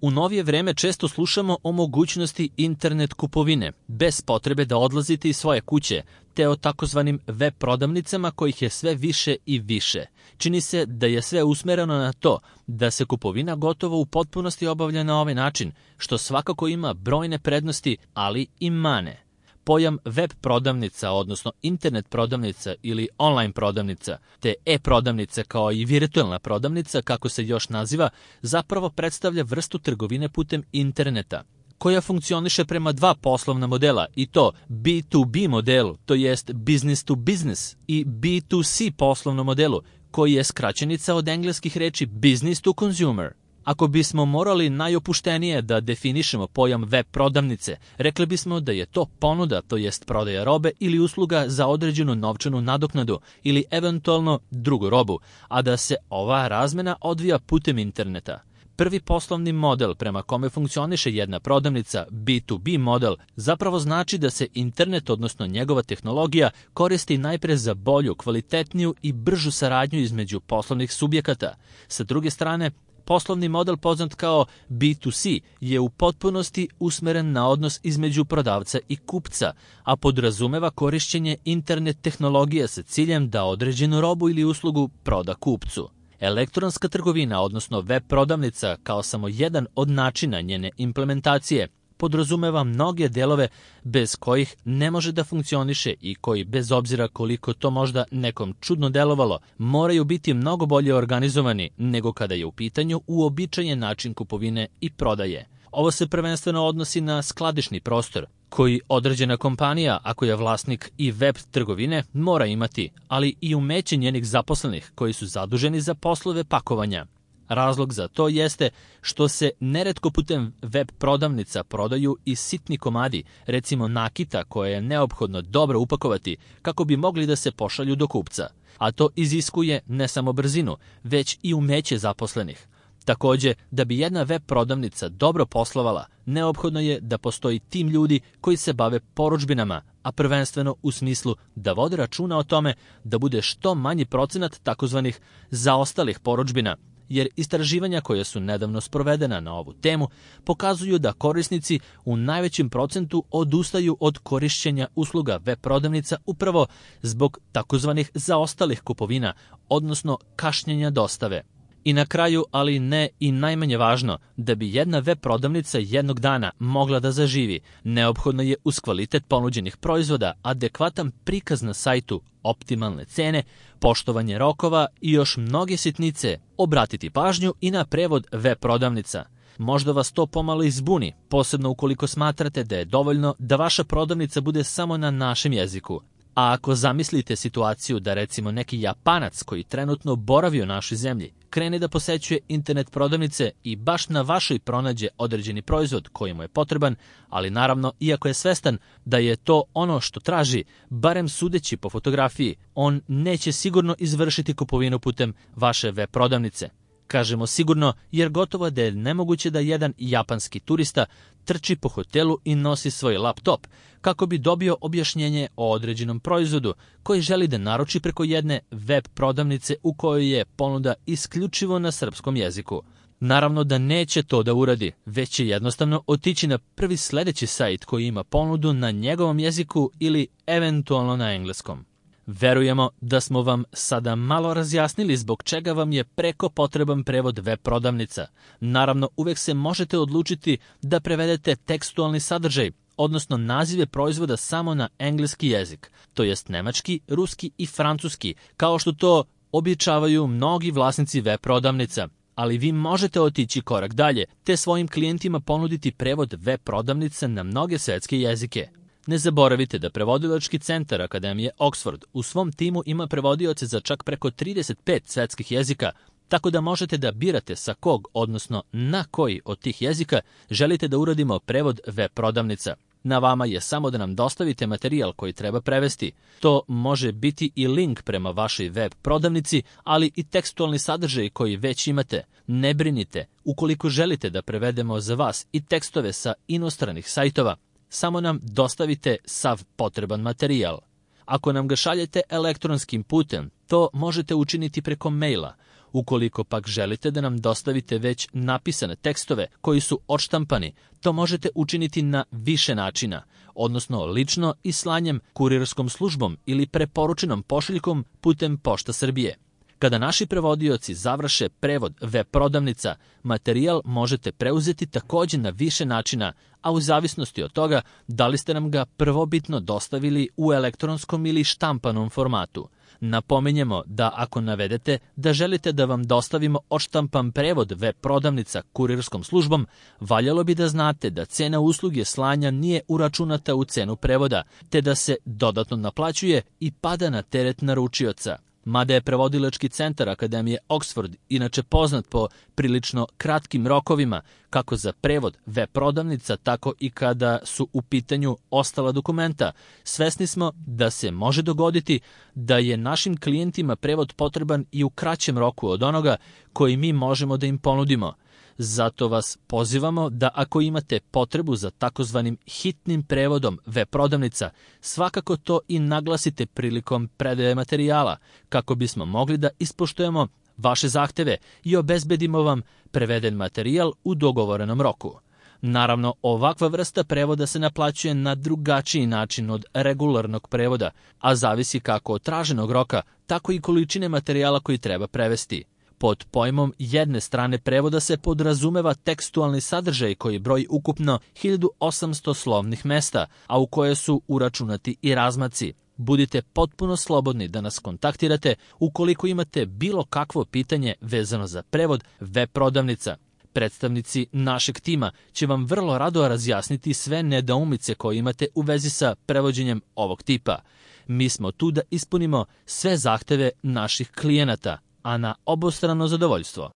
U novije vreme često slušamo o mogućnosti internet kupovine, bez potrebe da odlazite iz svoje kuće, te o takozvanim web prodavnicama kojih je sve više i više. Čini se da je sve usmereno na to da se kupovina gotovo u potpunosti obavlja na ovaj način, što svakako ima brojne prednosti, ali i mane. Pojam web prodavnica, odnosno internet prodavnica ili online prodavnica, te e-prodavnica kao i virtualna prodavnica, kako se još naziva, zapravo predstavlja vrstu trgovine putem interneta, koja funkcioniše prema dva poslovna modela, i to B2B modelu, to jest business to business, i B2C poslovnom modelu, koji je skraćenica od engleskih reči business to consumer. Ako bismo morali najopuštenije da definišemo pojam web prodavnice, rekli bismo da je to ponuda, to jest prodaja robe ili usluga za određenu novčanu nadoknadu ili eventualno drugu robu, a da se ova razmena odvija putem interneta. Prvi poslovni model prema kome funkcioniše jedna prodavnica, B2B model, zapravo znači da se internet, odnosno njegova tehnologija, koristi najpre za bolju, kvalitetniju i bržu saradnju između poslovnih subjekata. Sa druge strane, poslovni model poznat kao B2C je u potpunosti usmeren na odnos između prodavca i kupca, a podrazumeva korišćenje internet tehnologije sa ciljem da određenu robu ili uslugu proda kupcu. Elektronska trgovina, odnosno web prodavnica, kao samo jedan od načina njene implementacije, podrazumeva mnoge delove bez kojih ne može da funkcioniše i koji, bez obzira koliko to možda nekom čudno delovalo, moraju biti mnogo bolje organizovani nego kada je u pitanju uobičajen način kupovine i prodaje. Ovo se prvenstveno odnosi na skladišni prostor, koji određena kompanija, ako je vlasnik i web trgovine, mora imati, ali i umeće njenih zaposlenih koji su zaduženi za poslove pakovanja. Razlog za to jeste što se neretko putem web prodavnica prodaju i sitni komadi, recimo nakita koje je neophodno dobro upakovati kako bi mogli da se pošalju do kupca, a to iziskuje ne samo brzinu, već i umeće zaposlenih. Takođe, da bi jedna web prodavnica dobro poslovala, neophodno je da postoji tim ljudi koji se bave porudžbinama, a prvenstveno u smislu da vode računa o tome da bude što manji procenat takozvanih zaostalih porudžbina, jer istraživanja koja su nedavno sprovedena na ovu temu pokazuju da korisnici u najvećem procentu odustaju od korišćenja usluga web prodavnica upravo zbog takozvanih zaostalih kupovina, odnosno kašnjenja dostave. I na kraju, ali ne i najmanje važno, da bi jedna web prodavnica jednog dana mogla da zaživi, neophodno je uz kvalitet ponuđenih proizvoda, adekvatan prikaz na sajtu, optimalne cene, poštovanje rokova i još mnoge sitnice, obratiti pažnju i na prevod web prodavnica. Možda vas to pomalo izbuni, posebno ukoliko smatrate da je dovoljno da vaša prodavnica bude samo na našem jeziku. A ako zamislite situaciju da recimo neki Japanac koji trenutno boravi u našoj zemlji krene da posećuje internet prodavnice i baš na vašoj pronađe određeni proizvod koji mu je potreban, ali naravno, iako je svestan da je to ono što traži, barem sudeći po fotografiji, on neće sigurno izvršiti kupovinu putem vaše web prodavnice. Kažemo sigurno jer gotovo da je nemoguće da jedan japanski turista trči po hotelu i nosi svoj laptop kako bi dobio objašnjenje o određenom proizvodu koji želi da naruči preko jedne web prodavnice u kojoj je ponuda isključivo na srpskom jeziku. Naravno da neće to da uradi, već će jednostavno otići na prvi sledeći sajt koji ima ponudu na njegovom jeziku ili eventualno na engleskom. Verujemo da smo vam sada malo razjasnili zbog čega vam je preko potreban prevod web prodavnica. Naravno, uvek se možete odlučiti da prevedete tekstualni sadržaj, odnosno nazive proizvoda samo na engleski jezik, to jest nemački, ruski i francuski, kao što to običavaju mnogi vlasnici web prodavnica. Ali vi možete otići korak dalje, te svojim klijentima ponuditi prevod web prodavnica na mnoge svetske jezike. Ne zaboravite da prevodilački centar Akademije Oxford u svom timu ima prevodioce za čak preko 35 svetskih jezika, tako da možete da birate sa kog, odnosno na koji od tih jezika želite da uradimo prevod web prodavnica. Na vama je samo da nam dostavite materijal koji treba prevesti. To može biti i link prema vašoj web prodavnici, ali i tekstualni sadržaj koji već imate. Ne brinite, ukoliko želite da prevedemo za vas i tekstove sa inostranih sajtova, samo nam dostavite sav potreban materijal. Ako nam ga šaljete elektronskim putem, to možete učiniti preko maila. Ukoliko pak želite da nam dostavite već napisane tekstove koji su odštampani, to možete učiniti na više načina, odnosno lično i slanjem kurirskom službom ili preporučenom pošiljkom putem Pošta Srbije. Kada naši prevodioci završe prevod web prodavnica, materijal možete preuzeti takođe na više načina, a u zavisnosti od toga da li ste nam ga prvobitno dostavili u elektronskom ili štampanom formatu. Napominjemo da ako navedete da želite da vam dostavimo odštampan prevod web prodavnica kurirskom službom, valjalo bi da znate da cena usluge slanja nije uračunata u cenu prevoda, te da se dodatno naplaćuje i pada na teret naručioca. Mada je prevodilački centar Akademije Oxford inače poznat po prilično kratkim rokovima, kako za prevod web prodavnica, tako i kada su u pitanju ostala dokumenta, svesni smo da se može dogoditi da je našim klijentima prevod potreban i u kraćem roku od onoga koji mi možemo da im ponudimo. Zato vas pozivamo da ako imate potrebu za takozvanim hitnim prevodom web prodavnica, svakako to i naglasite prilikom predaje materijala, kako bismo mogli da ispoštujemo vaše zahteve i obezbedimo vam preveden materijal u dogovorenom roku. Naravno, ovakva vrsta prevoda se naplaćuje na drugačiji način od regularnog prevoda, a zavisi kako od traženog roka, tako i količine materijala koji treba prevesti. Pod pojmom jedne strane prevoda se podrazumeva tekstualni sadržaj koji broji ukupno 1800 slovnih mesta, a u koje su uračunati i razmaci. Budite potpuno slobodni da nas kontaktirate ukoliko imate bilo kakvo pitanje vezano za prevod web prodavnica. Predstavnici našeg tima će vam vrlo rado razjasniti sve nedoumice koje imate u vezi sa prevođenjem ovog tipa. Mi smo tu da ispunimo sve zahteve naših klijenata, a na obostrano zadovoljstvo.